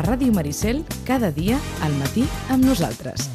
a Ràdio Maricel cada dia al matí amb nosaltres.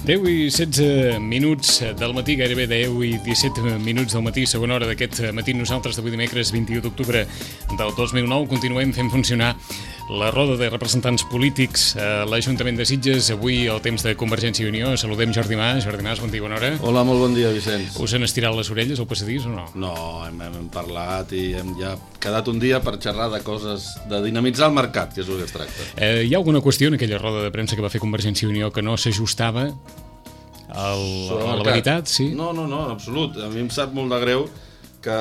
Deu i 16 minuts del matí, gairebé 10 i 17 minuts del matí, segona hora d'aquest matí. Nosaltres d'avui dimecres 21 d'octubre del 2009 continuem fent funcionar la roda de representants polítics a l'Ajuntament de Sitges. Avui el temps de Convergència i Unió. Saludem Jordi Mas. Jordi Mas, bon dia, bona hora. Hola, molt bon dia, Vicenç. Us han estirat les orelles al passadís o no? No, hem parlat i hem ja quedat un dia per xerrar de coses, de dinamitzar el mercat, que és el que es tracta. Hi ha alguna qüestió en aquella roda de premsa que va fer Convergència i Unió que no s'ajustava a la veritat? Sí? No, en absolut. A mi em sap molt de greu que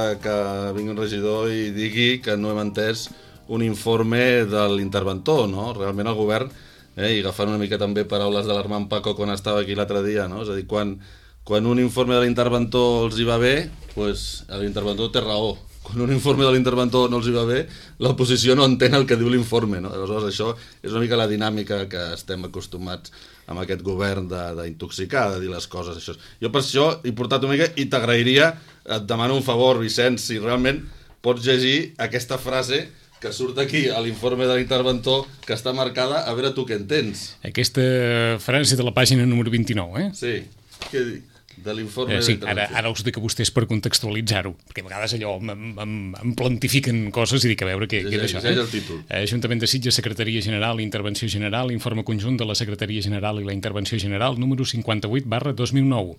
vingui un regidor i digui que no hem entès un informe de l'interventor, no? Realment el govern, i agafant una mica també paraules de l'Armand Paco quan estava aquí l'altre dia, no? És a dir, quan un informe de l'interventor els hi va bé, doncs l'interventor té raó. Quan un informe de l'interventor no els hi va bé, l'oposició no entén el que diu l'informe, no? Aleshores, això és una mica la dinàmica que estem acostumats amb aquest govern d'intoxicar, de dir les coses. Això. Jo per això he portat una mica i t'agrairia, et demano un favor, Vicenç, si realment pots llegir aquesta frase que surt aquí a l'informe de l'interventor, que està marcada, a veure tu què entens. Aquesta frase de la pàgina número 29, Sí, què dic? De l'informe sí, ara us dic a vostès per contextualitzar-ho, perquè a vegades allò em plantifiquen coses i dic a veure què és això. És el títol. Ajuntament de Sitges, Secretaria General, Intervenció General, informe conjunt de la Secretaria General i la Intervenció General, número 58/2009.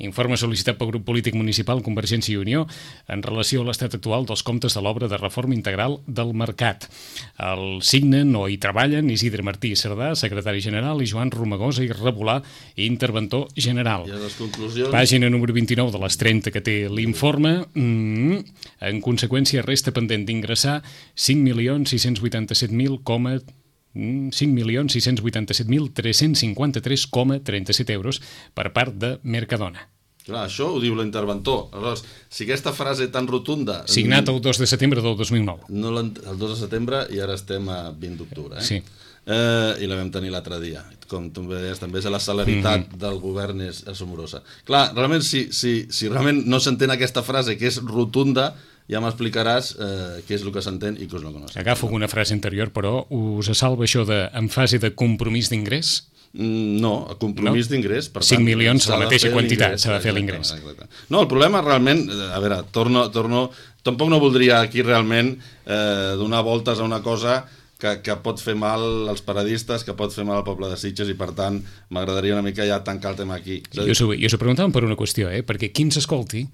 Informe sol·licitat pel grup polític municipal Convergència i Unió en relació a l'estat actual dels comptes de l'obra de reforma integral del mercat. El signen o hi treballen Isidre Martí Cerdà, secretari general, i Joan Romagosa i Rebolà, interventor general. I a les conclusions... Pàgina número 29 de les 30 que té l'informe. En conseqüència, resta pendent d'ingressar 5.687.353,37 euros per part de Mercadona. Clar, això ho diu l'interventor. Aleshores, si aquesta frase tan rotunda... Signat el 2 de setembre del 2009. El 2 de setembre i ara estem a 20 d'octubre. Sí. I la vam tenir l'altre dia. Com tu deies, també la celeritat del govern és assombrosa. Clar, realment, si realment no s'entén aquesta frase, que és rotunda, ja m'explicaràs què és el que s'entén i què és el que no s'entén. Agafo una frase anterior, però us salva això en fase de compromís d'ingrés? No, a compromís d'ingrés. 5 milions, la mateixa quantitat, s'ha de fer l'ingrés. No, el problema realment, a veure, tampoc no voldria aquí realment donar voltes a una cosa que pot fer mal als paradistes, que pot fer mal al poble de Sitges, i per tant m'agradaria una mica ja tancar el tema aquí. Jo us ho preguntàvem per una qüestió, perquè qui ens escolti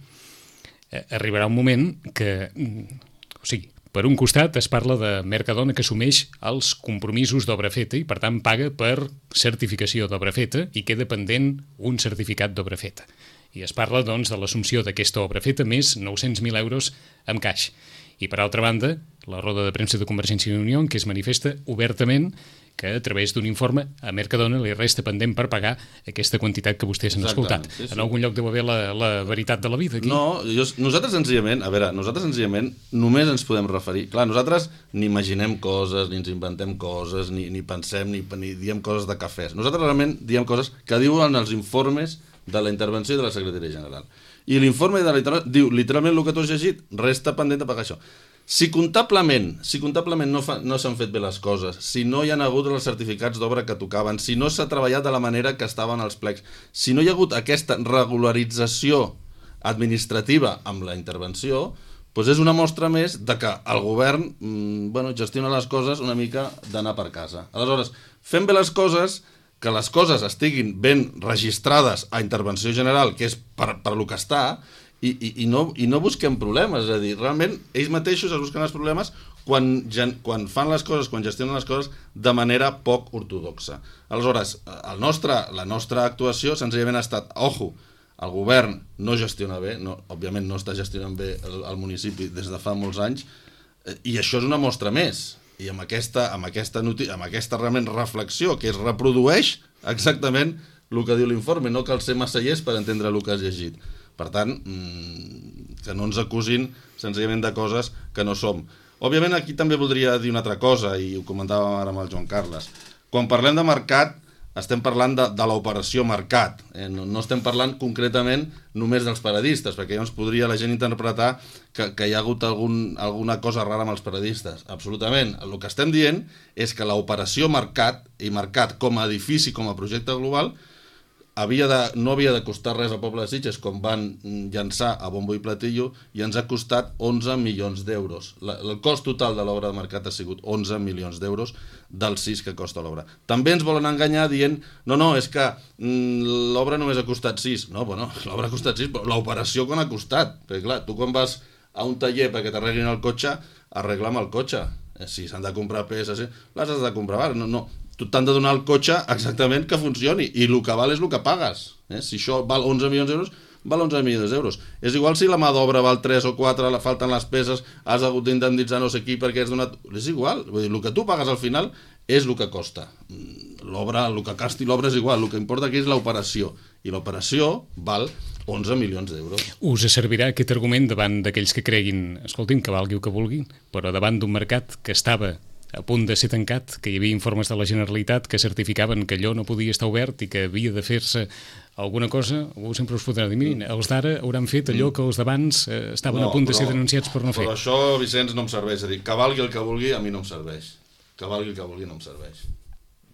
arribarà un moment que, o sigui, per un costat es parla de Mercadona que assumeix els compromisos d'obra feta i per tant paga per certificació d'obra feta i queda pendent un certificat d'obra feta. I es parla doncs de l'assumpció d'aquesta obra feta més 900.000 euros en caix. I per altra banda, la roda de premsa de Convergència i Unió, en què es manifesta obertament que a través d'un informe a Mercadona li resta pendent per pagar aquesta quantitat que vostès han escoltat. Sí. En algun lloc deu haver la veritat de la vida aquí. No, nosaltres senzillament només ens podem referir. Clar, nosaltres ni imaginem coses, ni ens inventem coses, ni pensem, ni diem coses de cafès. Nosaltres realment diem coses que diuen els informes de la intervenció de la Secretaria General. I l'informe de la intervenció diu literalment el que tu has llegit, resta pendent de pagar això. Si comptablement no s'han fet bé les coses, si no hi ha hagut els certificats d'obra que tocaven, si no s'ha treballat de la manera que estaven els plecs, si no hi ha hagut aquesta regularització administrativa amb la intervenció, doncs és una mostra més de que el govern gestiona les coses una mica d'anar per casa. Aleshores, fem bé les coses, que les coses estiguin ben registrades a intervenció general, que és per lo que està, i no busquem problemes. És a dir, realment ells mateixos es busquen els problemes quan fan les coses, quan gestionen les coses de manera poc ortodoxa. Aleshores, la nostra actuació senzillament ha estat, el govern no gestiona bé, òbviament no està gestionant bé el municipi des de fa molts anys, i això és una mostra més. I amb aquesta realment reflexió que es reprodueix exactament el que diu l'informe, no cal ser massa llest per entendre el que has llegit. Per tant, que no ens acusin senzillament de coses que no som. Òbviament aquí també voldria dir una altra cosa, i ho comentàvem ara amb el Joan Carles. Quan parlem de mercat, estem parlant de l'operació mercat, no estem parlant concretament només dels paradistes, perquè llavors podria la gent interpretar que hi ha hagut alguna cosa rara amb els paradistes. Absolutament. El que estem dient és que l'operació mercat, i mercat com a edifici, com a projecte global, no havia de costar res al poble de Sitges, com van llançar a bombo i platillo, i ens ha costat 11 milions d'euros. El cost total de l'obra de mercat ha sigut 11 milions d'euros dels 6 que costa l'obra. També ens volen enganyar dient no, és que l'obra només ha costat 6. No, bueno, l'obra ha costat 6, però l'operació quan ha costat? Perquè clar, tu quan vas a un taller perquè t'arreglin el cotxe, arregla amb el cotxe. Si s'han de comprar peces, les has de comprar. No. Tu t'han de donar el cotxe exactament que funcioni, i el que val és el que pagues. Si això val 11 milions d'euros, val 11 milions d'euros. És igual si la mà d'obra val 3 o 4, falten les peces, has hagut d'indemnitzar no sé qui perquè has donat... És igual, vull dir, el que tu pagues al final és el que costa. L'obra, el que costi l'obra és igual, el que importa aquí és l'operació, i l'operació val 11 milions d'euros. Us servirà aquest argument davant d'aquells que creguin, escoltin, que valgui el que vulguin, però davant d'un mercat que estava a punt de ser tancat, que hi havia informes de la Generalitat que certificaven que allò no podia estar obert i que havia de fer-se alguna cosa, algú sempre us podrà dir, mirin, els d'ara hauran fet allò que els d'abans estaven a punt de ser denunciats per no fer. Però això, Vicenç, no em serveix. És a dir, que valgui el que vulgui, a mi no em serveix. Que valgui el que vulgui no em serveix.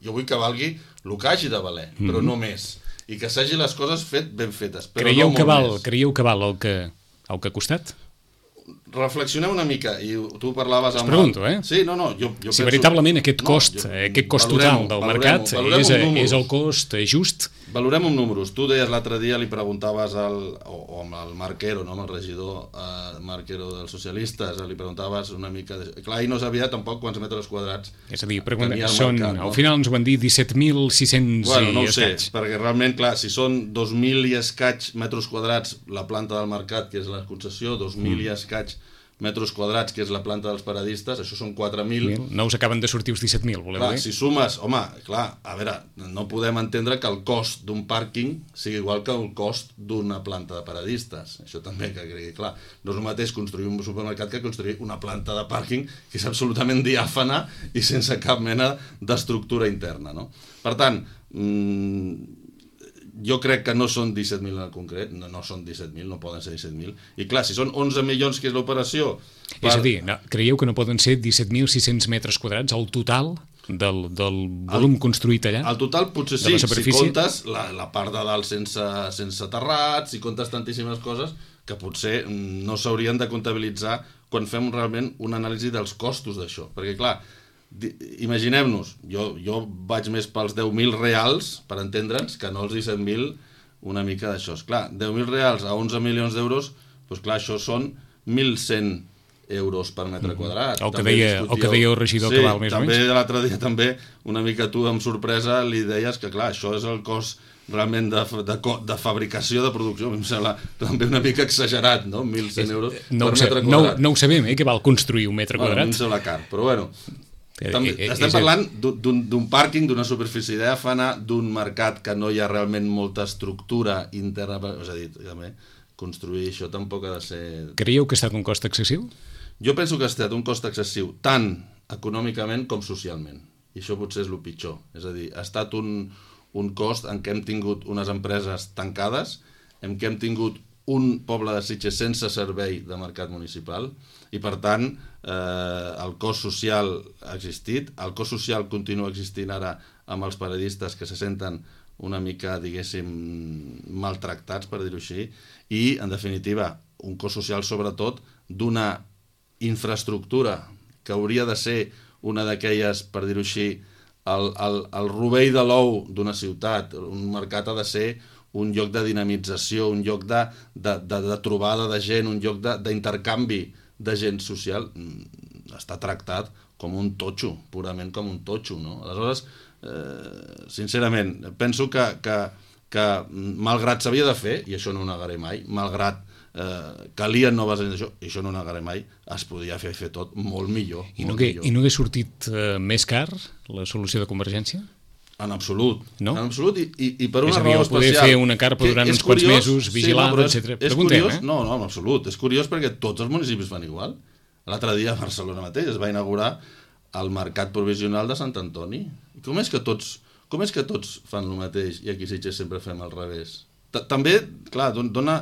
Jo vull que valgui el que hagi de valer, però no més. I que s'hagi les coses ben fetes. Creieu que val el que ha costat? Reflexionem una mica, i tu parlaves amb... Us pregunto, Sí, no, jo si penso... veritablement aquest cost total del mercat és el cost just. Valorem amb números. Tu deies l'altre dia, li preguntaves amb el Marquero, no, amb el regidor Marquero dels socialistes, li preguntaves una mica... Clar, ell no sabia tampoc quants metres quadrats. És a dir, al final ens ho van dir 17.600 no i escaig. Sé, perquè realment, clar, si són 2.000 i escaig metres quadrats la planta del mercat, que és la concessió, 2.000 i escaig metres quadrats, que és la planta dels paradistes, això són 4.000. No us acaben de sortir els 17.000, voleu dir? Si sumes, home, clar, a veure, no podem entendre que el cost d'un pàrquing sigui igual que el cost d'una planta de paradistes. Això també que quedi clar. No és el mateix construir un supermercat que construir una planta de pàrquing que és absolutament diàfana i sense cap mena d'estructura interna, no? Per tant, jo crec que no són 17.000 en concret, no són 17.000, no poden ser 17.000. I clar, si són 11 milions, que és l'operació... És a dir, creieu que no poden ser 17.600 metres quadrats el total del volum construït allà? El total potser sí, si comptes la part de dalt sense terrat, si comptes tantíssimes coses que potser no s'haurien de comptabilitzar quan fem realment una anàlisi dels costos d'això. Perquè clar, imaginem-nos, jo vaig més pels 10.000 reals, per entendre'ns, que no els 17.000 una mica d'això. Clar, 10.000 reals a 11 milions d'euros, doncs clar, això són 1.100 euros per metre quadrat. El que deia el regidor, que val més o menys. Sí, també l'altre dia també, una mica tu amb sorpresa li deies que clar, això és el cost realment de fabricació, de producció. A mi em sembla també una mica exagerat, no? 1.100 euros per metre quadrat. No ho sabem, que val construir un metre quadrat. A mi em sembla car, però bueno... Estem parlant d'un pàrquing, d'una superfície diàfana, d'un mercat que no hi ha realment molta estructura interna, és a dir, també, construir això tampoc ha de ser... Creieu que ha estat un cost excessiu? Jo penso que ha estat un cost excessiu, tant econòmicament com socialment, i això potser és el pitjor, és a dir, ha estat un cost en què hem tingut unes empreses tancades, en què hem tingut un poble de Sitges sense servei de mercat municipal, i per tant el cost social ha existit, el cost social continua existint ara amb els paradistes que se senten una mica, diguéssim, maltractats, per dir-ho així, i en definitiva un cost social sobretot d'una infraestructura que hauria de ser una d'aquelles, per dir-ho així, el rovell de l'ou d'una ciutat. Un mercat ha de ser un lloc de dinamització, un lloc de trobada de gent, un lloc d'intercanvi de gent social. Està tractat com un totxo, purament com un totxo, no? Aleshores, sincerament, penso que malgrat s'havia de fer, i això no ho negaré mai, malgrat calien noves eines d'això, i això no ho negaré mai, es podia fer tot molt millor. I no hagués sortit més car la solució de Convergència? En absolut. No? En absolut, i per una És a dir, raó el poder especial. fer una carpa durant uns quants mesos, vigilar, etc. Preguntem, curiós, no, en absolut. És curiós perquè tots els municipis fan igual. L'altre dia a Barcelona mateix es va inaugurar el mercat provisional de Sant Antoni. Com és que tots fan el mateix i aquí a Sitges sempre fem al revés? També, clar, dona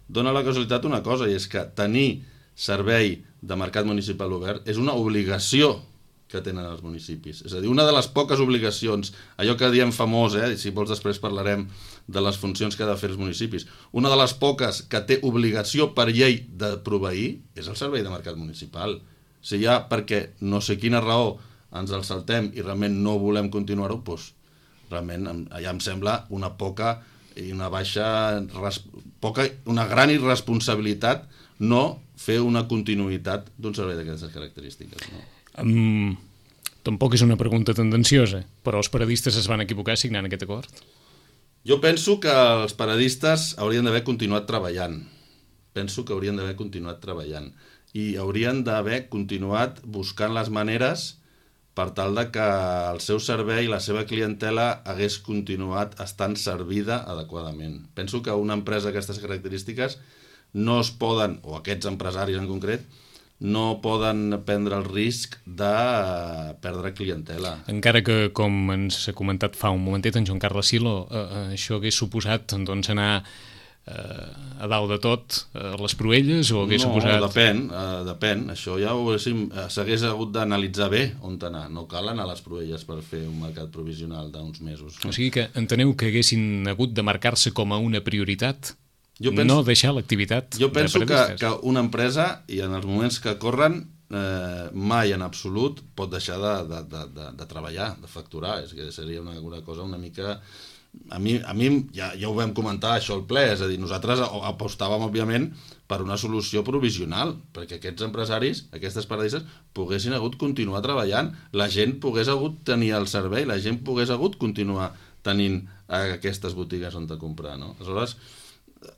la casualitat una cosa, i és que tenir servei de mercat municipal obert és una obligació que tenen els municipis. És a dir, una de les poques obligacions, allò que diem famós, si vols després parlarem de les funcions que ha de fer els municipis, una de les poques que té obligació per llei de proveir és el servei de mercat municipal. Si ja perquè no sé quina raó ens el saltem i realment no volem continuar-ho, doncs realment allà em sembla una poca i una gran irresponsabilitat no fer una continuïtat d'un servei d'aquestes característiques, no? Tampoc és una pregunta tendenciosa, però els paradistes es van equivocar signant aquest acord? Jo penso que els paradistes haurien d'haver continuat treballant. I haurien d'haver continuat buscant les maneres per tal de que el seu servei i la seva clientela hagués continuat estant servida adequadament. Penso que una empresa d'aquestes característiques no es poden, o aquests empresaris en concret, no poden prendre el risc de perdre clientela. Encara que, com ens ha comentat fa un momentet en Joan Carles Silo, això hagués suposat doncs, anar a dalt de tot a les Proelles o hagués suposat... No, depèn. Això ja s'hagués hagut d'analitzar bé on anar. No cal anar a les Proelles per fer un mercat provisional d'uns mesos. O sigui que enteneu que haguessin hagut de marcar-se com a una prioritat? No deixar l'activitat. Jo penso que una empresa, i en els moments que corren, mai en absolut pot deixar de treballar, de facturar. És que seria una cosa una mica... A mi ja ho vam comentar això al ple, és a dir, nosaltres apostàvem òbviament per una solució provisional, perquè aquests empresaris, aquestes paradisses, poguessin hagut continuar treballant, la gent pogués hagut tenir el servei, la gent pogués hagut continuar tenint aquestes botigues on de comprar, no? Aleshores,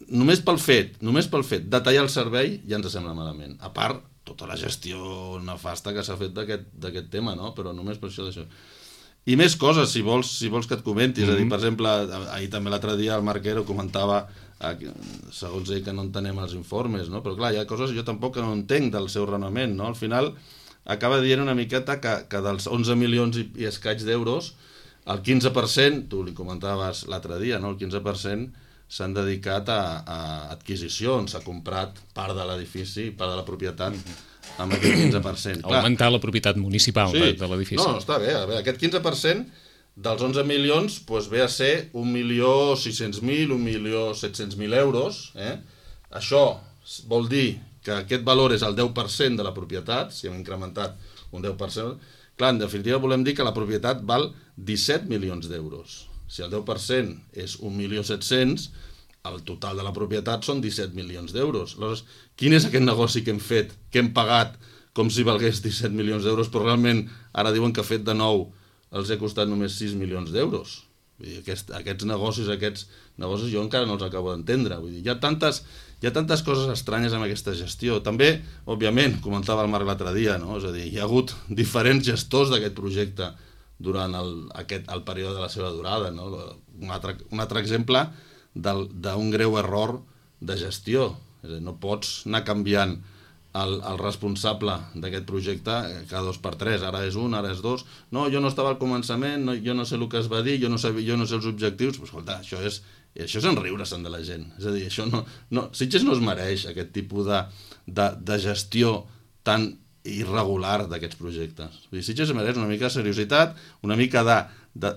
només pel fet de tallar el servei ja ens sembla malament. A part, tota la gestió nefasta que s'ha fet d'aquest tema, no? Però només per això d'això. I més coses, si vols que et comenti. És a dir, per exemple, ahir també l'altre dia el Marquero comentava, segons ell, que no entenem els informes, no? Però clar, hi ha coses que jo tampoc no entenc del seu raonament, no? Al final acaba dient una miqueta que dels 11 milions i escaig d'euros, el 15%, tu li comentaves l'altre dia, no? El 15% s'han dedicat a adquisicions, s'ha comprat part de l'edifici, part de la propietat, amb aquest 15%. Augmentar la propietat municipal de l'edifici. No, està bé. Aquest 15% dels 11 milions ve a ser 1.600.000, 1.700.000 euros. Això vol dir que aquest valor és el 10% de la propietat, si hem incrementat un 10%. Clar, en definitiva volem dir que la propietat val 17 milions d'euros. Si el 10% és 1.700.000, el total de la propietat són 17 milions d'euros. Aleshores, quin és aquest negoci que hem fet, que hem pagat com si valgués 17 milions d'euros, però realment ara diuen que fet de nou els ha costat només 6 milions d'euros? Aquests negocis jo encara no els acabo d'entendre. Vull dir, hi ha tantes coses estranyes amb aquesta gestió. També, òbviament, comentava el Marc l'altre dia, no? És a dir, hi ha hagut diferents gestors d'aquest projecte durant el període de la seva durada, no? Un altre exemple d'un greu error de gestió. És a dir, no pots anar canviant el responsable d'aquest projecte cada 2x3, ara és un, ara és dos. No, jo no estava al començament, jo no sé el que es va dir, jo no sé els objectius. Però escolta, això és enriure-se'n de la gent. És a dir, Sitges no es mereix aquest tipus de gestió tan irregular d'aquests projectes. Sitges es mereix una mica de seriositat, una mica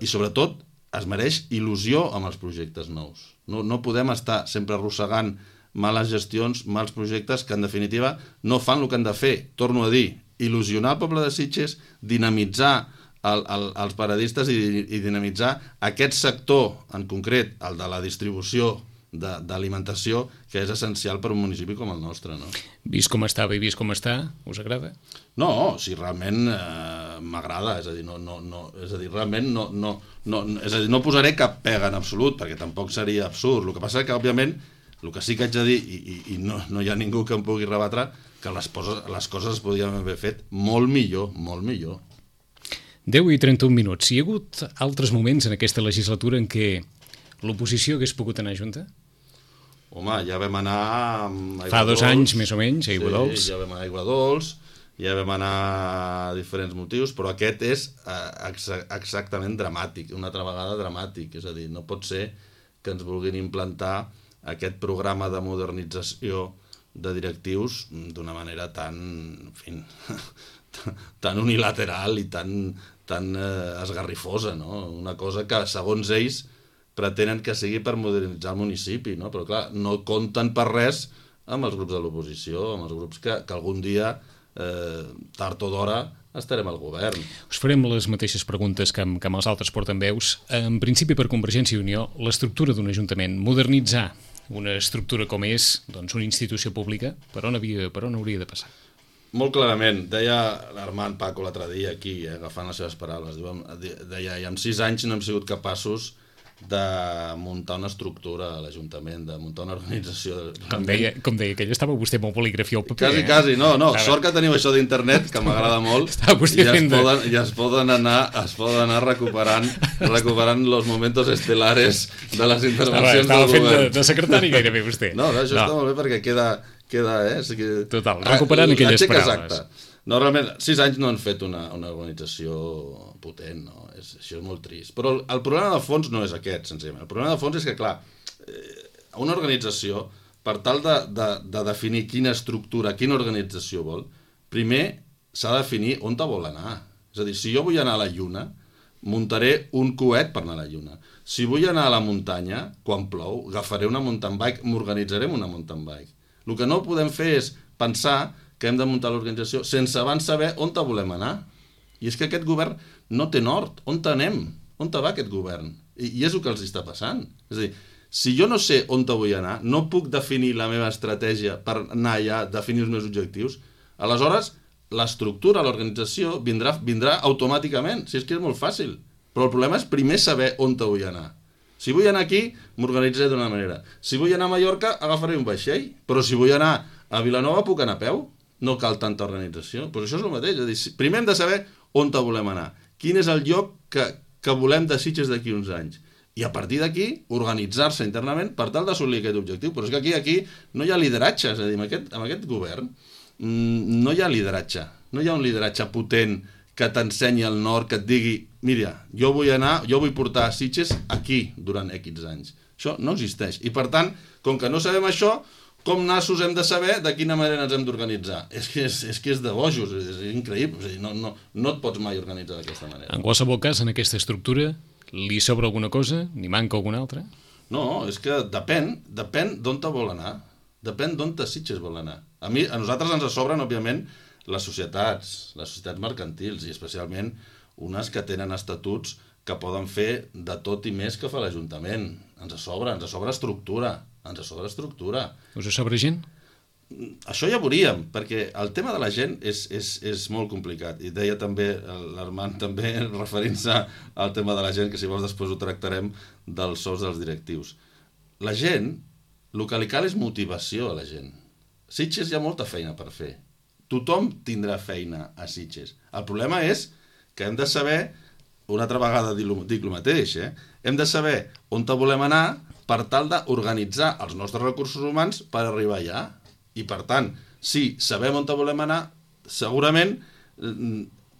i sobretot es mereix il·lusió amb els projectes nous. No podem estar sempre arrossegant males gestions, mals projectes que en definitiva no fan el que han de fer. Torno a dir, il·lusionar el poble de Sitges, dinamitzar els paradistes i dinamitzar aquest sector en concret, el de la distribució d'alimentació, que és essencial per un municipi com el nostre, no? Vist com estava i vist com està, us agrada? No, si realment m'agrada, és a dir, realment no posaré cap pega en absolut, perquè tampoc seria absurd. El que passa que, òbviament, el que sí que haig de dir, i no hi ha ningú que em pugui rebatre, que les coses es podien haver fet molt millor, molt millor. 10 i 31 minuts. Hi ha hagut altres moments en aquesta legislatura en què l'oposició hagués pogut anar junta? Home, ja vam anar amb Fa 2 anys, més o menys, a Aiguadols. Sí, ja vam anar a Aiguadols, ja vam anar a diferents motius, però aquest és exactament dramàtic, una altra vegada dramàtic. És a dir, no pot ser que ens vulguin implantar aquest programa de modernització de directius d'una manera tan, en fi, tan unilateral i tan esgarrifosa, no? Una cosa que, segons ells, pretenen que sigui per modernitzar el municipi, no? Però clar, no compten per res amb els grups de l'oposició, amb els grups que algun dia, tard o d'hora, estarem al govern. Us farem les mateixes preguntes que amb els altres portaveus. En principi, per Convergència i Unió, l'estructura d'un ajuntament, modernitzar una estructura com és, doncs, una institució pública, per on hauria de passar? Molt clarament, deia l'Armand Paco l'altre dia aquí, agafant les seves paraules, deia, i en 6 anys no hem sigut capaços de muntar una estructura a l'Ajuntament, de muntar una organització. Com deia que ell estava vostè molt poligrafia al paper. Quasi, no, sort que teniu això d'internet, que m'agrada molt, i es poden anar recuperant los momentos estelares de les intervencions del govern. Estava fent de secretari gairebé vostè. No, això està molt bé perquè queda Total, recuperant aquelles paraules. No, realment, 6 anys no han fet una organització potent, no? Això és molt trist. Però el problema de fons no és aquest, senzillament. El problema de fons és que, clar, una organització, per tal de definir quina estructura, quina organització vol, primer s'ha de definir on vol anar. És a dir, si jo vull anar a la Lluna, muntaré un coet per anar a la Lluna. Si vull anar a la muntanya, quan plou, agafaré una mountain bike, m'organitzaré amb una mountain bike. El que no podem fer és pensar que hem de muntar l'organització sense abans saber on volem anar. I és que aquest govern no té nord. On anem? On va aquest govern? I és el que els està passant. És a dir, si jo no sé on vull anar, no puc definir la meva estratègia per anar allà, definir els meus objectius, aleshores l'estructura, l'organització vindrà automàticament. Si és que és molt fàcil. Però el problema és primer saber on vull anar. Si vull anar aquí, m'organitzaré d'una manera. Si vull anar a Mallorca, agafaré un vaixell. Però si vull anar a Vilanova, puc anar a peu. No cal tanta organització. Però això és el mateix. És a dir, primer hem de saber on volem anar. Quin és el lloc que volem de Sitges d'aquí uns anys. I a partir d'aquí, organitzar-se internament per tal d'assolir aquest objectiu. Però és que aquí no hi ha lideratge. És a dir, amb aquest govern no hi ha lideratge. No hi ha un lideratge potent que t'ensenyi el nord, que et digui, mira, jo vull portar a Sitges aquí durant X anys. Això no existeix. I per tant, com que no sabem això, com nassos hem de saber de quina manera ens hem d'organitzar? És que és de bojos, és increïble. És a dir, no et pots mai organitzar d'aquesta manera. En qualsevol cas, en aquesta estructura, li sobra alguna cosa? N'hi manca alguna altra? No, és que depèn d'on vol anar. Depèn d'on Sitges vol anar. A nosaltres ens sobren, òbviament, les societats mercantils, i especialment unes que tenen estatuts que poden fer de tot i més que fa l'Ajuntament. Ens sobra estructura. Us sobra gent? Això ja veuríem, perquè el tema de la gent és molt complicat. I deia també l'Armand, també referint-se al tema de la gent, que si vols després ho tractarem, dels sous dels directius. La gent, el que li cal és motivació a la gent. Sitges hi ha molta feina per fer. Tothom tindrà feina a Sitges. El problema és que hem de saber, una altra vegada dic el mateix, hem de saber on volem anar per tal d'organitzar els nostres recursos humans per arribar allà. I per tant, si sabem on volem anar, segurament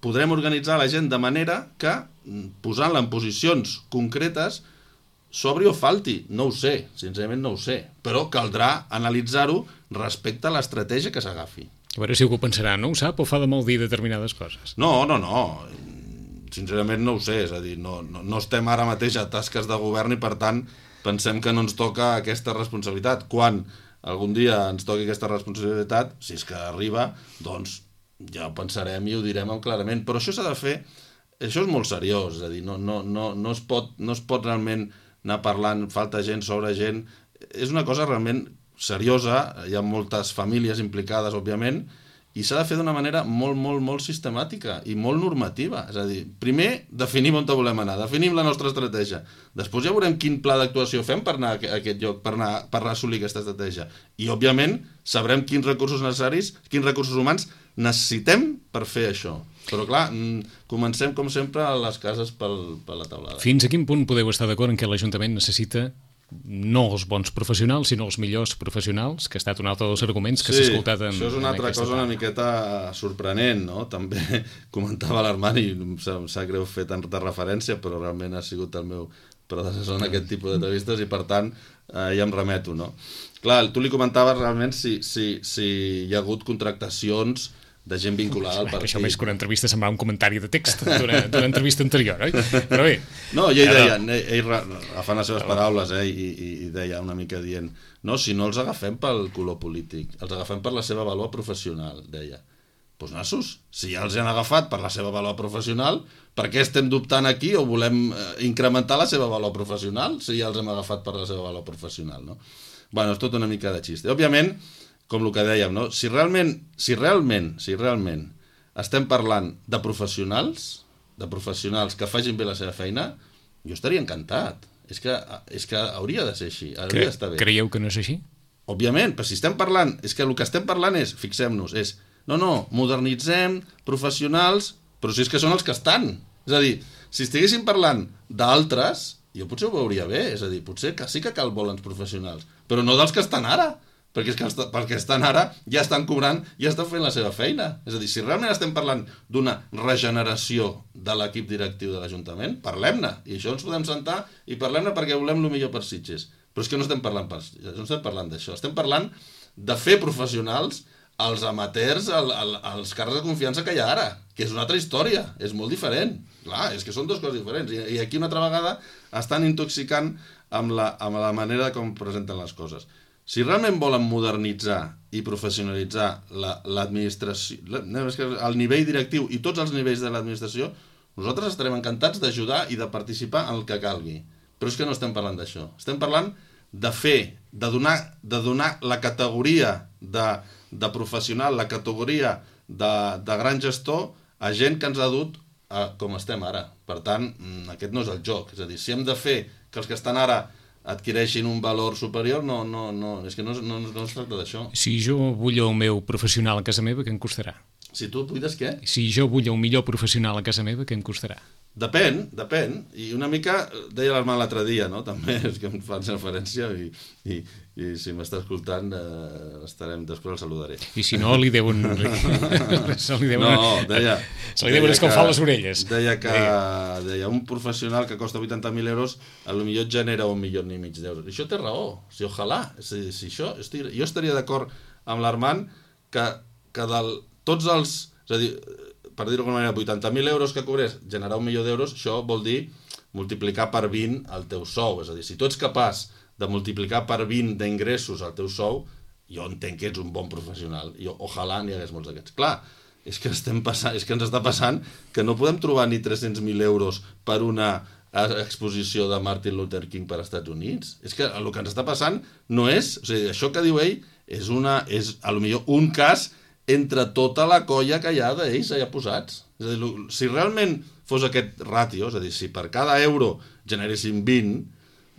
podrem organitzar la gent de manera que, posant-la en posicions concretes, s'obri o falti. No ho sé, sincerament no ho sé. Però caldrà analitzar-ho respecte a l'estratègia que s'agafi. A veure si algú pensarà, no ho sap o fa de mal dir determinades coses? No. Sincerament no ho sé. És a dir, no estem ara mateix a tasques de govern i per tant pensem que no ens toca aquesta responsabilitat. Quan algun dia ens toqui aquesta responsabilitat, si és que arriba, doncs ja ho pensarem i ho direm clarament. Però això s'ha de fer, això és molt seriós. És a dir, no es pot realment anar parlant, falta gent, sobra gent. És una cosa realment seriosa, hi ha moltes famílies implicades, òbviament, i s'ha de fer d'una manera molt, molt, molt sistemàtica i molt normativa. És a dir, primer definim on volem anar, definim la nostra estratègia. Després ja veurem quin pla d'actuació fem per anar a aquest lloc, per assolir aquesta estratègia. I, òbviament, sabrem quins recursos necessaris, quins recursos humans necessitem per fer això. Però clar, comencem com sempre a les cases per la taulada. Fins a quin punt podeu estar d'acord en què l'Ajuntament necessita no els bons professionals, sinó els millors professionals, que ha estat un altre dels arguments que s'ha escoltat en això és una altra cosa una miqueta sorprenent, no? També comentava l'Armand i em sap greu fer tanta referència, però realment ha sigut el meu predecessor en aquest tipus d'entrevistes i per tant ja em remeto, no? Clar, tu li comentaves realment si hi ha hagut contractacions de gent vinculada al partit. Això més que una entrevista semblava un comentari de text d'una entrevista anterior, oi? Però bé... No, i ell deia, ell agafant les seves paraules, i deia una mica dient, no, si no els agafem pel color polític, els agafem per la seva vàlua professional, deia. Doncs nassos, si ja els han agafat per la seva vàlua professional, per què estem dubtant aquí o volem incrementar la seva vàlua professional si ja els hem agafat per la seva vàlua professional, no? Bueno, és tot una mica de xiste. Òbviament, com el que dèiem, no? Si realment estem parlant de professionals que facin bé la seva feina, jo estaria encantat. És que hauria de ser així, hauria d'estar bé. Creieu que no és així? Òbviament, però si estem parlant, és que el que estem parlant és, fixem-nos, no, modernitzem, professionals, però si és que són els que estan. És a dir, si estiguéssim parlant d'altres, jo potser ho veuria bé, és a dir, potser que sí que cal bons professionals, però no dels que estan ara, perquè és que els que estan ara ja estan cobrant, ja estan fent la seva feina. És a dir, si realment estem parlant d'una regeneració de l'equip directiu de l'Ajuntament, parlem-ne, i això ens podem sentar i parlem-ne perquè volem el millor per Sitges. Però és que no estem parlant d'això, estem parlant de fer professionals els amateurs, els càrrecs de confiança que hi ha ara, que és una altra història, és molt diferent. Clar, és que són dues coses diferents, i aquí una altra vegada estan intoxicant amb la manera com presenten les coses. Si realment volen modernitzar i professionalitzar l'administració, el nivell directiu i tots els nivells de l'administració, nosaltres estarem encantats d'ajudar i de participar en el que calgui. Però és que no estem parlant d'això. Estem parlant de fer, de donar la categoria de professional, la categoria de gran gestor a gent que ens ha dut com estem ara. Per tant, aquest no és el joc. És a dir, si hem de fer que els que estan ara adquireixin un valor superior, no, és que no es tracta d'això. Si jo vull el meu professional a casa meva, què em costarà? Si tu buides què? Si jo vull un millor professional a casa meva, què em costarà? Depèn, i una mica deia l'Armand l'altre dia, no? També és que em fan referència i si m'està escoltant després el saludaré. I si no, li deuen deia escalfar les orelles. Deia un professional que costa 80.000 euros potser genera 1,5 milions d'euros. I això té raó, si ojalà, jo estaria d'acord amb l'Armand que tots els, és a dir, per dir-ho d'alguna manera, 80.000 euros que cobrés, generar 1 milió d'euros, això vol dir multiplicar per 20 el teu sou. És a dir, si tu ets capaç de multiplicar per 20 d'ingressos el teu sou, jo entenc que ets un bon professional. I ojalà n'hi hagués molts d'aquests. Clar, és que ens està passant que no podem trobar ni 300.000 euros per una exposició de Martin Luther King per als Estats Units. És que el que ens està passant no és... O sigui, això que diu ell és potser un cas entre tota la colla que hi ha d'ells allà posats. És a dir, si realment fos aquest ràtio, és a dir, si per cada euro generessin 20,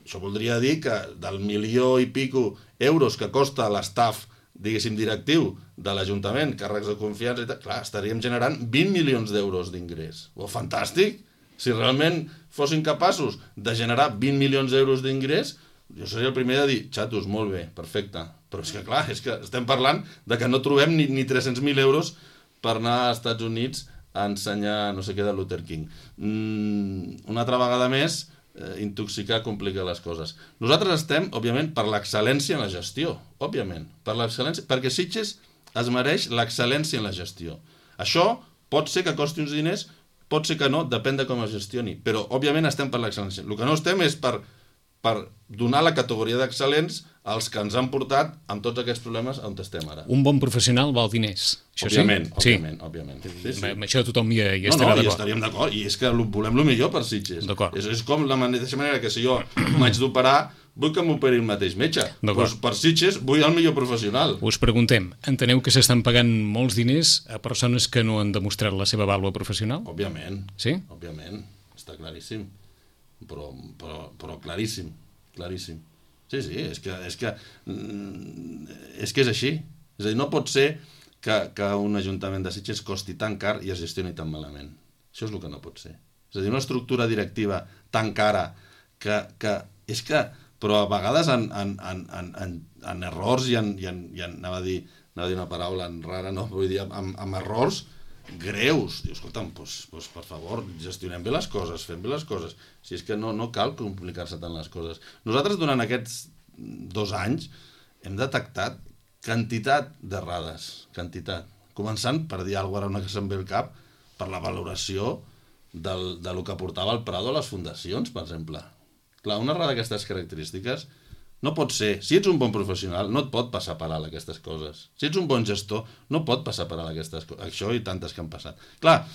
això voldria dir que del 1 milió i pico euros que costa l'estaf, diguéssim, directiu de l'Ajuntament, càrrecs de confiança i tal, clar, estaríem generant 20 milions d'euros d'ingrés. Fantàstic! Si realment fossin capaços de generar 20 milions d'euros d'ingrés, jo seria el primer de dir, xatos, molt bé, perfecte. Però és que clar, és que estem parlant de que no trobem ni 300.000 euros per anar als Estats Units a ensenyar no sé què de Luther King. Una altra vegada més, intoxicar complica les coses. Nosaltres estem, òbviament, per l'excel·lència en la gestió, òbviament, per l'excel·lència, perquè Sitges es mereix l'excel·lència en la gestió. Això pot ser que costi uns diners, pot ser que no, depèn de com es gestioni, però òbviament estem per l'excel·lència. El que no estem és per donar la categoria d'excel·lents als que ens han portat amb tots aquests problemes on estem ara. Un bon professional val diners. Això òbviament, sí? Òbviament. Sí. Amb això tothom hi estarà d'acord. No, hi estaríem d'acord, i és que volem el millor per Sitges. D'acord. És com la mateixa manera que si jo m'haig d'operar, vull que m'operi el mateix metge. Doncs per Sitges vull el millor professional. Us preguntem, enteneu que s'estan pagant molts diners a persones que no han demostrat la seva vàlua professional? Òbviament. Sí? Òbviament, està claríssim. Però claríssim. Sí, és que és així. És a dir, no pot ser que un ajuntament de Sitges costi tan car i es gestioni tan malament. Això és el que no pot ser. És a dir, una estructura directiva tan cara que és que, però a vegades en errors i anava a dir una paraula rara, no? Vull dir, amb errors greus. Dius, escolta'm, doncs, per favor, gestionem bé les coses, fem bé les coses. Si és que no cal complicar-se tant les coses. Nosaltres, durant aquests 2 anys, hem detectat quantitat d'errades, quantitat. Començant, per dir alguna cosa, ara una que se'm ve al cap, per la valoració de lo que portava el Prado a les fundacions, per exemple. Clar, una errada d'aquestes característiques no pot ser. Si ets un bon professional, no et pot passar per alt aquestes coses. Si ets un bon gestor, no pot passar per alt aquestes coses. Això i tantes que han passat. Clar,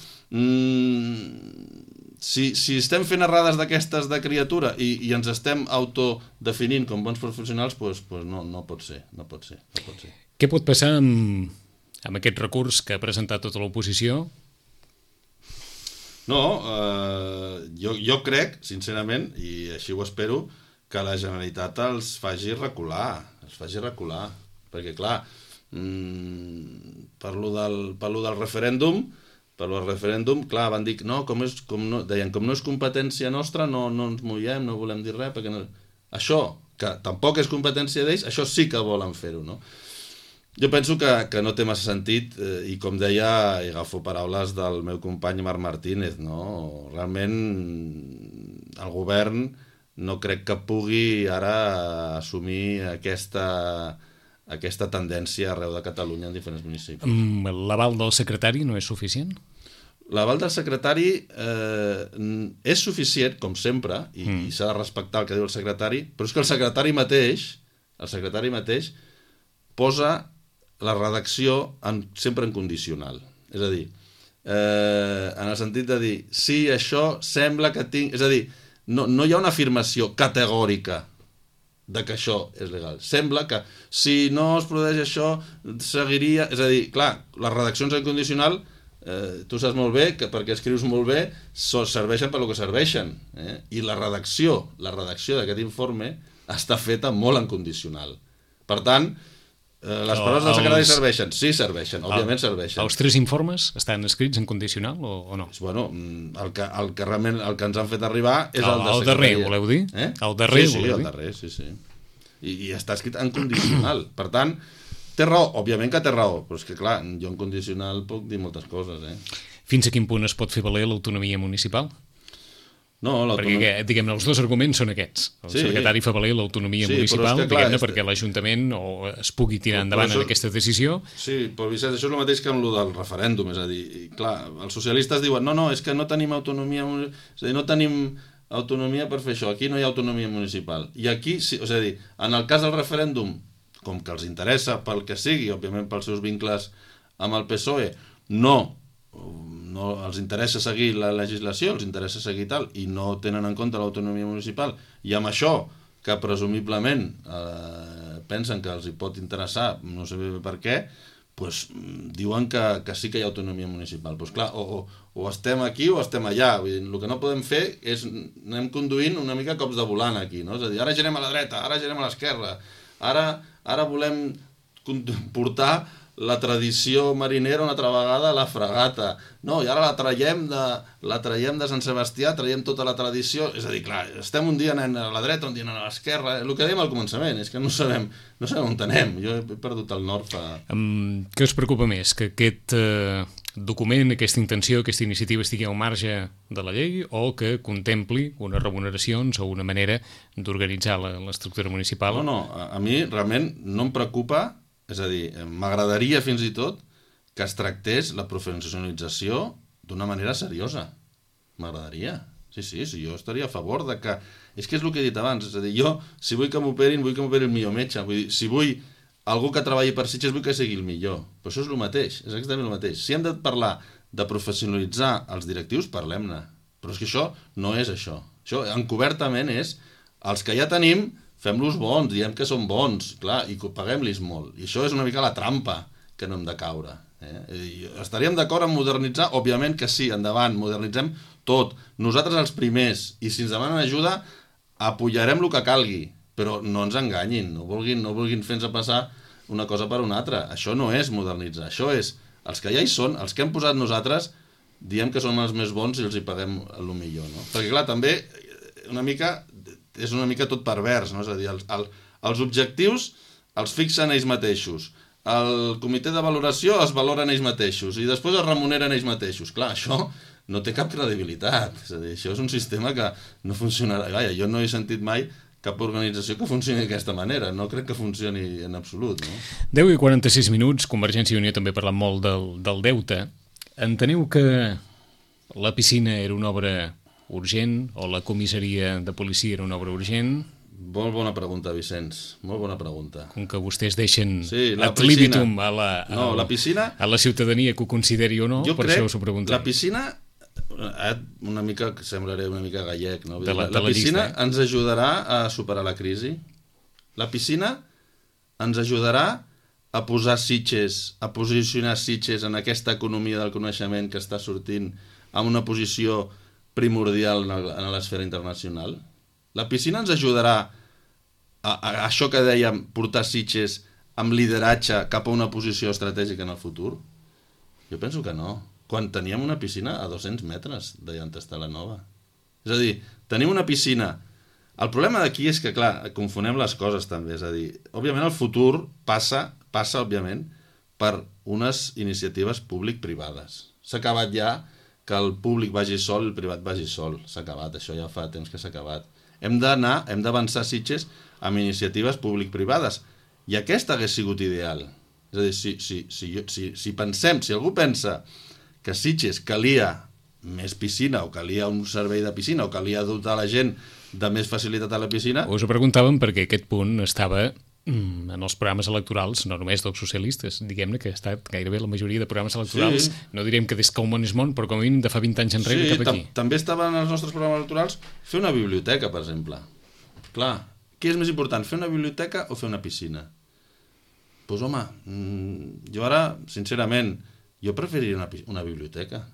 si estem fent errades d'aquestes de criatura i ens estem autodefinint com bons professionals, doncs no pot ser. Què pot passar amb aquest recurs que ha presentat tota l'oposició? No, jo crec, sincerament, i així ho espero, que la Generalitat els faci recular, perquè clar, per lo del referèndum, clar, van dir que no, com no és competència nostra, no ens mullem, no volem dir res, perquè no... Això, que tampoc és competència d'ells, això sí que volen fer-ho, no? Jo penso que no té massa sentit, i com deia, i agafo paraules del meu company Marc Martínez, no? Realment el govern no crec que pugui ara assumir aquesta tendència arreu de Catalunya en diferents municipis. L'aval del secretari no és suficient? L'aval del secretari és suficient, com sempre, i s'ha de respectar el que diu el secretari, però és que el secretari mateix posa la redacció sempre en condicional. És a dir, en el sentit de dir, sí, això sembla que tinc... És a dir, no hi ha una afirmació categòrica de que això és legal. Sembla que si no es produeix això, seguiria... És a dir, clar, les redaccions en condicional, tu saps molt bé que perquè escrius molt bé serveixen per lo que serveixen. I la redacció d'aquest informe està feta molt en condicional. Per tant, les paraules del secretari serveixen? Sí, serveixen, òbviament serveixen. Els 3 informes estan escrits en condicional o no? Bueno, el que realment el que ens han fet arribar és el de secretaria. El darrer, voleu dir? El darrer, sí. I està escrit en condicional. Per tant, té raó, òbviament que té raó, però és que clar, jo en condicional puc dir moltes coses. Fins a quin punt es pot fer valer l'autonomia municipal? No, perquè, diguem-ne, els 2 arguments són aquests. El secretari fa valer l'autonomia municipal, diguem-ne, perquè l'Ajuntament es pugui tirar endavant en aquesta decisió. Sí, però Vicenç, això és el mateix que amb el del referèndum, és a dir, clar, els socialistes diuen no, és que no tenim autonomia, és a dir, no tenim autonomia per fer això, aquí no hi ha autonomia municipal. I aquí, és a dir, en el cas del referèndum, com que els interessa pel que sigui, òbviament pels seus vincles amb el PSOE, no els interessa seguir la legislació, els interessa seguir tal, i no tenen en compte l'autonomia municipal, i amb això, que presumiblement pensen que els hi pot interessar, no sé bé per què, doncs diuen que sí que hi ha autonomia municipal. Doncs clar, o estem aquí o estem allà. Vull dir, el que no podem fer és anem conduint una mica cops de volant aquí, no? És a dir, ara girem a la dreta, ara girem a l'esquerra, ara volem portar la tradició marinera una altra vegada a la fregata. No, i ara la traiem de Sant Sebastià, traiem tota la tradició. És a dir, clar, estem un dia anant a la dreta, un dia anant a l'esquerra. El que dèiem al començament és que no sabem on anem. Jo he perdut el nord fa... Què us preocupa més? Que aquest document, aquesta intenció, aquesta iniciativa estigui al marge de la llei o que contempli unes remuneracions o una manera d'organitzar l'estructura municipal? No, a mi realment no em preocupa. És a dir, m'agradaria fins i tot que es tractés la professionalització d'una manera seriosa. M'agradaria. Sí, jo estaria a favor de que... És que és el que he dit abans, és a dir, jo, si vull que m'operin, vull que m'operi el millor metge. Vull dir, si vull algú que treballi per Sitges, vull que sigui el millor. Però això és el mateix, és exactament el mateix. Si hem de parlar de professionalitzar els directius, parlem-ne. Però és que això no és això. Això, encobertament, és els que ja tenim... Fem-los bons, diem que són bons, clar, i paguem-los molt. I això és una mica la trampa que no hem de caure. Estaríem d'acord en modernitzar? Òbviament que sí, endavant, modernitzem tot. Nosaltres els primers, i si ens demanen ajuda, apoyarem el que calgui, però no ens enganyin, no vulguin fer-nos passar una cosa per una altra. Això no és modernitzar, això és els que ja hi són, els que hem posat nosaltres, diem que són els més bons i els hi paguem el millor, no? Perquè clar, també és una mica tot pervers, no? És a dir, els objectius els fixen ells mateixos, el comitè de valoració es valoren ells mateixos i després es remuneren ells mateixos. Clar, això no té cap credibilitat, és a dir, això és un sistema que no funcionarà. Vaja, jo no he sentit mai cap organització que funcioni d'aquesta manera, no crec que funcioni en absolut, no? 10:46, Convergència i Unió també parla molt del deute. Enteneu que la piscina era una obra urgent o la comissaria de policia era una obra urgent? Molt bona pregunta, Vicenç, molt bona pregunta. Com que vostès deixen la ad libitum a la piscina, a la ciutadania que ho consideri o no, per això us ho preguntem. La piscina, una mica, semblaré una mica gallec, no? La piscina ens ajudarà a superar la crisi. La piscina ens ajudarà a posar Sitges, a posicionar Sitges en aquesta economia del coneixement que està sortint en una posició primordial en l'esfera internacional. La piscina ens ajudarà a això que dèiem, portar Sitges amb lideratge cap a una posició estratègica en el futur? Jo penso que no. Quan teníem una piscina a 200 metres d'allà on està la nova. És a dir, tenim una piscina. El problema d'aquí és que, clar, confonem les coses també. És a dir, òbviament el futur passa òbviament, per unes iniciatives públic-privades. S'ha acabat ja que el públic vagi sol i el privat vagi sol. S'ha acabat, això ja fa temps que s'ha acabat. Hem d'avançar Sitges amb iniciatives públic-privades. I aquesta hagués sigut ideal. És a dir, si algú pensa que Sitges calia més piscina o calia un servei de piscina o calia dotar la gent de més facilitat a la piscina... Us ho preguntàvem perquè aquest punt estava en els programes electorals, no només dels socialistes, diguem-ne que ha estat gairebé la majoria de programes electorals, no direm que des que el món és món, però com a mínim de fa 20 anys enrere cap aquí. També estava en els nostres programes electorals fer una biblioteca, per exemple. Clar, què és més important, fer una biblioteca o fer una piscina? Doncs home, jo ara, sincerament, jo preferiria una biblioteca.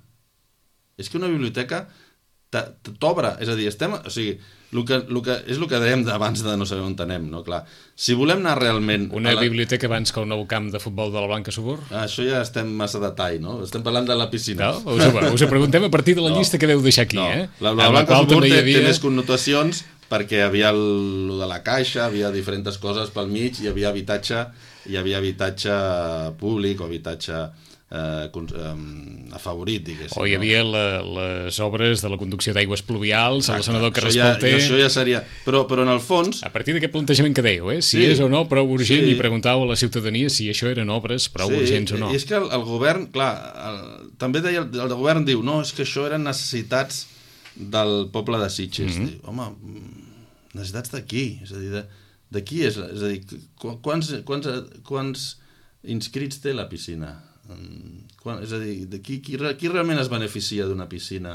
És que una biblioteca t'obre, és a dir, és el que dèiem abans de no saber on anem, no? Clar, si volem anar realment... Una biblioteca abans que el nou camp de futbol de la Blanca Subur? Això ja estem massa detall, no? Estem parlant de la piscina. No? Us ho preguntem a partir de la llista que veu deixar aquí, eh? La Blanca Subur té més connotacions perquè hi havia el de la caixa, hi havia diferents coses pel mig, hi havia habitatge públic o habitatge afavorit, diguéssim. O hi havia les obres de la conducció d'aigües pluvials, el senador Carles Pelter... Això ja seria... Però en el fons... A partir d'aquest plantejament que dèieu, si és o no prou urgent, i preguntàveu a la ciutadania si això eren obres prou urgents o no. I és que el govern, clar, també deia, el govern diu, no, és que això eren necessitats del poble de Sitges. Home, necessitats de qui? És a dir, de qui és? És a dir, quants inscrits té la piscina? És a dir, qui realment es beneficia d'una piscina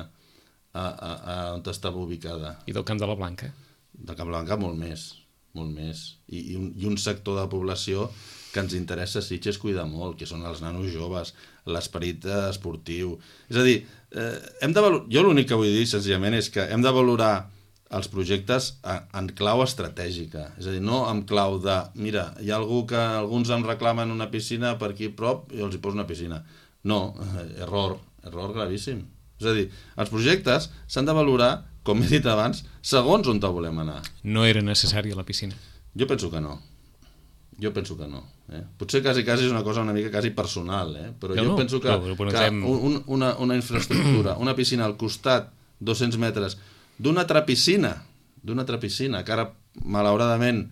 on estava ubicada? I del Camp de la Blanca? Del Camp de la Blanca molt més. I un sector de població que ens interessa a Sitges cuida molt, que són els nanos joves, l'esperit esportiu. És a dir, jo l'únic que vull dir senzillament és que hem de valorar els projectes en clau estratègica, és a dir, no en clau de, mira, hi ha algú que alguns em reclamen una piscina per aquí a prop i els hi poso una piscina. No, error gravíssim. És a dir, els projectes s'han de valorar, com he dit abans, segons on volem anar. No era necessària la piscina? Jo penso que no. Potser quasi és una cosa una mica quasi personal, però jo penso que una infraestructura, una piscina al costat, 200 metres, d'una altra piscina, que ara, malauradament,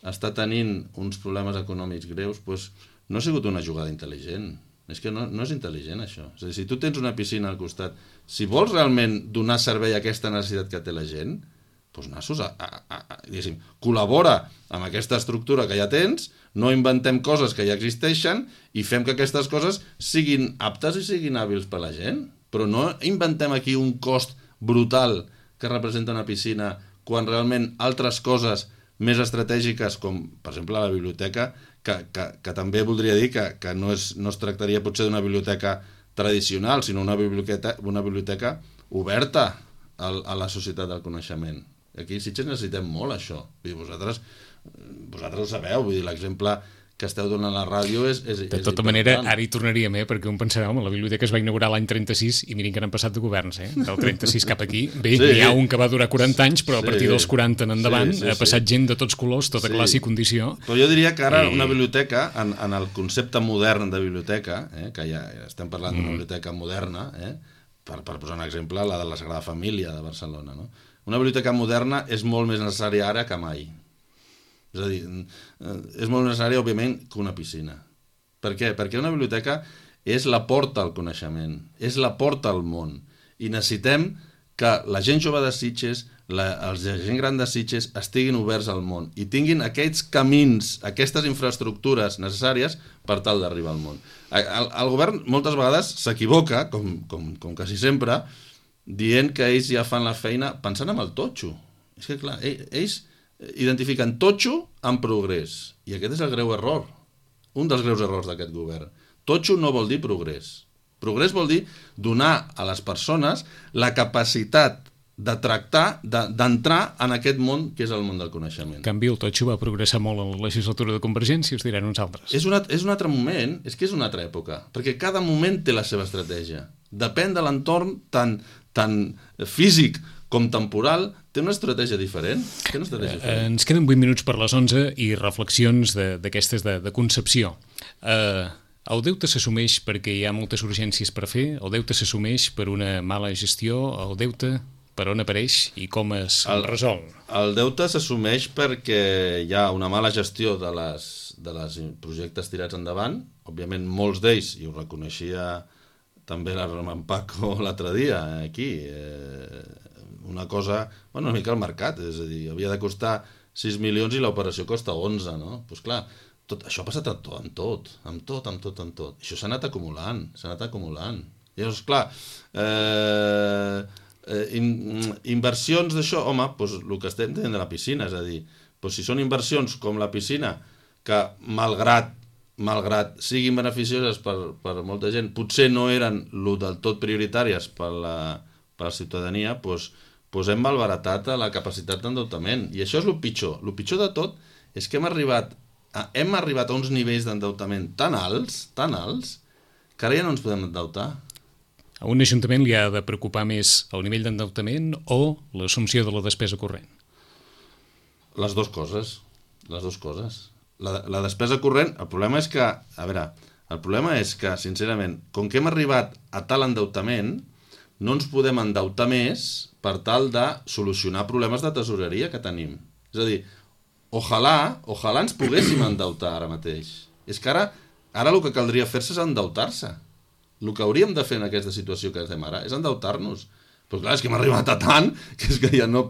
està tenint uns problemes econòmics greus, doncs no ha sigut una jugada intel·ligent. És que no és intel·ligent, això. És a dir, si tu tens una piscina al costat, si vols realment donar servei a aquesta necessitat que té la gent, doncs nassos diguéssim, col·labora amb aquesta estructura que ja tens, no inventem coses que ja existeixen i fem que aquestes coses siguin aptes i siguin hàbils per la gent. Però no inventem aquí un cost brutal que representa una piscina, quan realment altres coses més estratègiques, com per exemple la biblioteca, que també voldria dir que no es tractaria potser d'una biblioteca tradicional, sinó una biblioteca oberta a la societat del coneixement. Aquí a Sitges necessitem molt això. Vosaltres ho sabeu, vull dir, l'exemple que esteu donant a la ràdio és de tota manera, ara hi tornaríem, perquè un pensarà, home, la biblioteca es va inaugurar l'any 36 i mirin que n'han passat de governs, del 36 cap aquí. Bé, n'hi ha un que va durar 40 anys, però a partir dels 40 en endavant ha passat gent de tots colors, tota classe i condició. Però jo diria que ara una biblioteca, en el concepte modern de biblioteca, que ja estem parlant d'una biblioteca moderna, per posar un exemple, la de la Sagrada Família de Barcelona, no? Una biblioteca moderna és molt més necessària ara que mai. És a dir, és molt necessari, òbviament, que una piscina. Per què? Perquè una biblioteca és la porta al coneixement, és la porta al món. I necessitem que la gent jove de Sitges, la gent gran de Sitges, estiguin oberts al món i tinguin aquests camins, aquestes infraestructures necessàries per tal d'arribar al món. El govern moltes vegades s'equivoca, com quasi sempre, dient que ells ja fan la feina pensant en el totxo. És que, clar, ells identifiquen totxo amb progrés. I aquest és el greu error. Un dels greus errors d'aquest govern. Totxo no vol dir progrés. Progrés vol dir donar a les persones la capacitat de tractar, d'entrar en aquest món que és el món del coneixement. En canvi, el totxo va progressar molt en la legislatura de Convergència, us diran uns altres. És un altre moment, és que és una altra època, perquè cada moment té la seva estratègia. Depèn de l'entorn tant físic com temporal, té una estratègia diferent. Ens queden 8 minuts per les 11 i reflexions d'aquestes de concepció. El deute s'assumeix perquè hi ha moltes urgències per fer, el deute s'assumeix per una mala gestió, el deute per on apareix i com es resol? El deute s'assumeix perquè hi ha una mala gestió de les projectes tirats endavant. Òbviament, molts d'ells, i ho reconeixia també l'Armand Paco l'altre dia, aquí, una cosa, una mica al mercat, és a dir, havia de costar 6 milions i l'operació costa 11, no? Doncs clar, això ha passat amb tot. Això s'ha anat acumulant. Llavors, clar, inversions d'això, home, doncs el que estem tenint de la piscina, és a dir, si són inversions com la piscina, que malgrat siguin beneficioses per molta gent, potser no eren del tot prioritàries per la ciutadania, doncs hem malbaratat la capacitat d'endeutament. I això és el pitjor. El pitjor de tot és que hem arribat a uns nivells d'endeutament tan alts, que ara ja no ens podem endeutar. A un ajuntament li ha de preocupar més el nivell d'endeutament o l'assumpció de la despesa corrent? Les dues coses. La despesa corrent, el problema és que, sincerament, com que hem arribat a tal endeutament, no ens podem endeutar més per tal de solucionar problemes de tesoreria que tenim. És a dir, ojalà ens poguéssim endeutar ara mateix. És que ara el que caldria fer-se és endeutar-se. El que hauríem de fer en aquesta situació que estem ara és endeutar-nos. Però clar, és que hem arribat a tant que és que ja no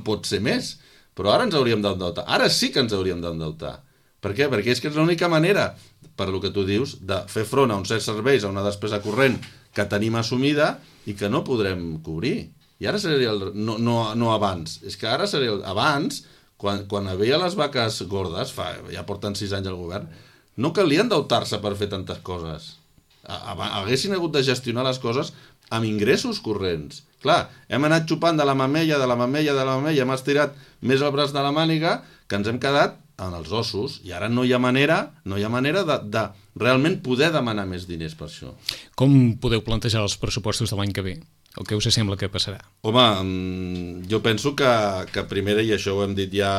pot ser més. Però ara ens hauríem d'endeutar. Ara sí que ens hauríem d'endeutar. Per què? Perquè és que és l'única manera, per lo que tu dius, de fer front a uns certs serveis, a una despesa corrent que tenim assumida i que no podrem cobrir. I ara seria no abans. És que ara seria abans, quan havia les vaques gordes, ja porten 6 anys al govern, no calia endeutar-se per fer tantes coses. Haguessin hagut de gestionar les coses amb ingressos corrents. Clar, hem anat xupant de la mamella, hem estirat més el braç de la màniga, que ens hem quedat en els ossos, i ara no hi ha manera de realment poder demanar més diners per això. Com podeu plantejar els pressupostos de l'any que ve? O què us sembla que passarà? Home, jo penso que primer, i això ho hem dit ja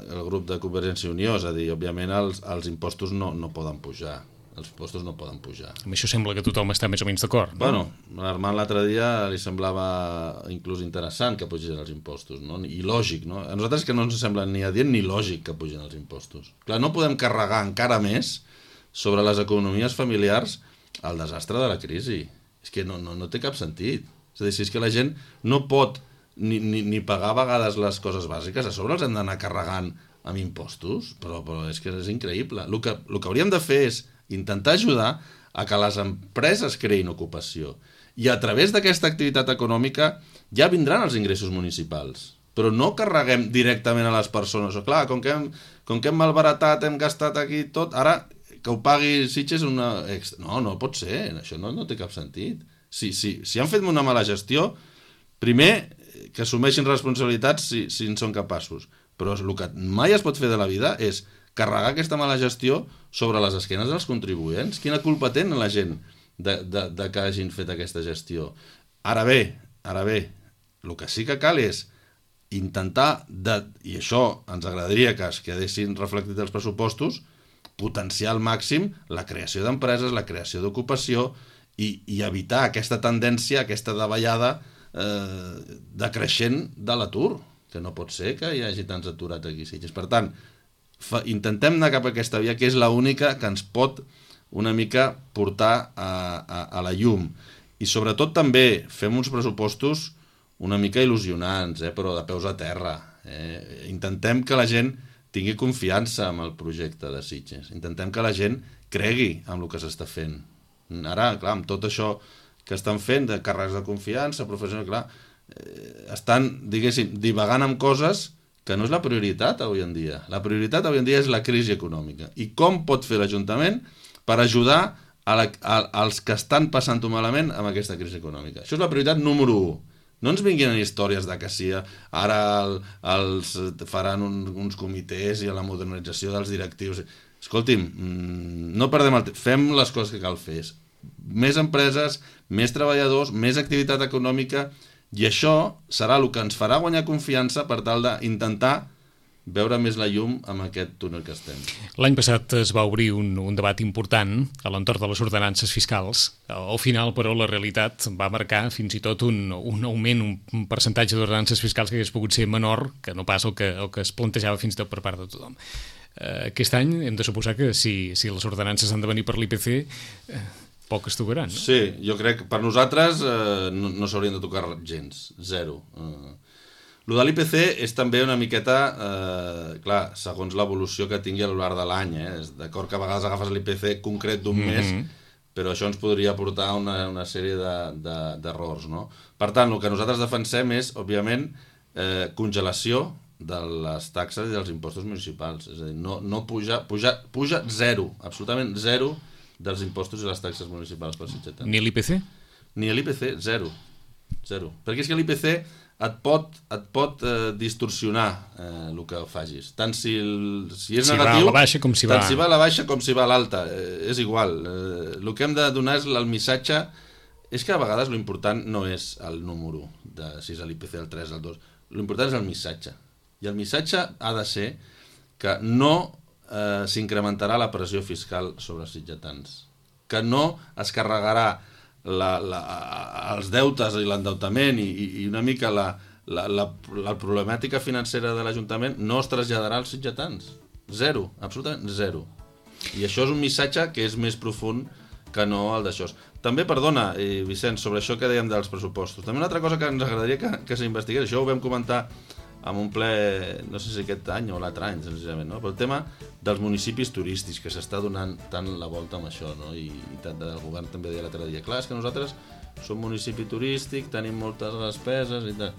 el grup de Convergència i Unió, és a dir, òbviament els impostos no poden pujar. Amb això sembla que tothom està més o menys d'acord, no? Bueno, l'Armand l'altre dia li semblava inclús interessant que pugin els impostos, no? I lògic, no? A nosaltres que no ens sembla ni adient ni lògic que pugin els impostos. Clar, no podem carregar encara més sobre les economies familiars el desastre de la crisi. És que no té cap sentit. És a dir, si és que la gent no pot ni pagar a vegades les coses bàsiques, a sobre els hem d'anar carregant amb impostos, però és que és increïble. El que hauríem de fer és intentar ajudar a que les empreses creïn ocupació. I a través d'aquesta activitat econòmica ja vindran els ingressos municipals. Però no carreguem directament a les persones. O clar, com que hem malbaratat, hem gastat aquí tot, ara que ho pagui Sitges una extra. No pot ser, això no té cap sentit. Si han fet una mala gestió, primer que assumeixin responsabilitats si en són capaços. Però el que mai es pot fer de la vida és carregar aquesta mala gestió sobre les esquenes dels contribuents. Quina culpa tenen la gent de que hagin fet aquesta gestió? Ara bé, el que sí que cal és intentar, i això ens agradaria que es quedessin reflectit els pressupostos, potenciar al màxim la creació d'empreses, la creació d'ocupació i evitar aquesta tendència, aquesta davallada decreixent de l'atur, que no pot ser que hi hagi tants aturats aquí. Per tant, intentem anar cap a aquesta via, que és l'única que ens pot una mica portar a la llum. I sobretot també fem uns pressupostos una mica il·lusionants, però de peus a terra. Intentem que la gent tingui confiança en el projecte de Sitges. Intentem que la gent cregui en el que s'està fent. Ara, clar, amb tot això que estan fent, de càrrecs de confiança, professionals, clar, estan, diguéssim, divagant amb coses que no és la prioritat avui en dia. La prioritat avui en dia és la crisi econòmica. I com pot fer l'Ajuntament per ajudar als que estan passant-ho malament amb aquesta crisi econòmica? Això és la prioritat número 1. No ens vinguin històries de que sí, ara els faran uns comitès i a la modernització dels directius. Escolti'm, no perdem el temps, fem les coses que cal fer. Més empreses, més treballadors, més activitat econòmica, i això serà el que ens farà guanyar confiança per tal d'intentar veure més la llum amb aquest túnel que estem. L'any passat es va obrir un debat important a l'entorn de les ordenances fiscals. Al final, però, la realitat va marcar fins i tot un augment, un percentatge d'ordenances fiscals que hagués pogut ser menor que no pas el que es plantejava fins i tot per part de tothom. Aquest any hem de suposar que si les ordenances han de venir per l'IPC, poc es tocaran, no? Sí, jo crec que per nosaltres no s'haurien de tocar gens, zero. El de l'IPC és també una miqueta, clar, segons l'evolució que tingui a lo llarg de l'any. És d'acord que a vegades agafes l'IPC concret d'un mes, però això ens podria portar a una sèrie d'errors, no? Per tant, el que nosaltres defensem és, òbviament, congelació de les taxes i dels impostos municipals. És a dir, no puja zero, absolutament zero, dels impostos i les taxes municipals per sitgetans. Ni l'IPC? Ni l'IPC, zero. Perquè és que l'IPC et pot distorsionar el que facis. Tant si és negatiu, tant si va a la baixa com si va a l'alta. És igual. El que hem de donar és el missatge. És que a vegades l'important no és el número, si és l'IPC, el 3, el 2. L'important és el missatge. I el missatge ha de ser que no s'incrementarà la pressió fiscal sobre els sitgetans, que no es carregarà els deutes i l'endeutament i una mica la problemàtica financera de l'Ajuntament no es traslladarà als sitgetans. Zero, absolutament zero. I això és un missatge que és més profund que no el d'això. També, perdona, Vicenç, sobre això que dèiem dels pressupostos. També una altra cosa que ens agradaria que s'investigués, això ho vam comentar amb un ple, no sé si aquest any o l'altre any, senzillament, no? Però el tema dels municipis turístics, que s'està donant tant la volta amb això, no? I tant del govern també deia l'altre dia, clar, és que nosaltres som municipi turístic, tenim moltes despeses i tal.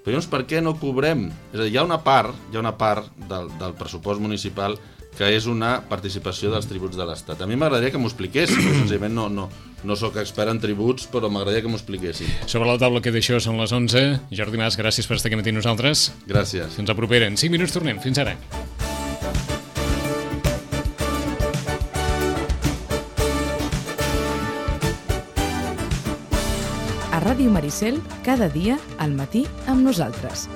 Però llavors, per què no cobrem? És a dir, hi ha una part del pressupost municipal que és una participació dels tributs de l'Estat. A mi m'agradaria que m'ho expliqués, senzillament no soc expert en tributs, però m'agradaria que m'ho expliquessin. Sobre la taula que d'això són les 11. Jordi Mas, gràcies per estar aquí amb nosaltres. Gràcies. Fins la propera. En 5 minuts tornem. Fins ara. A Ràdio Maricel, cada dia, al matí, amb nosaltres.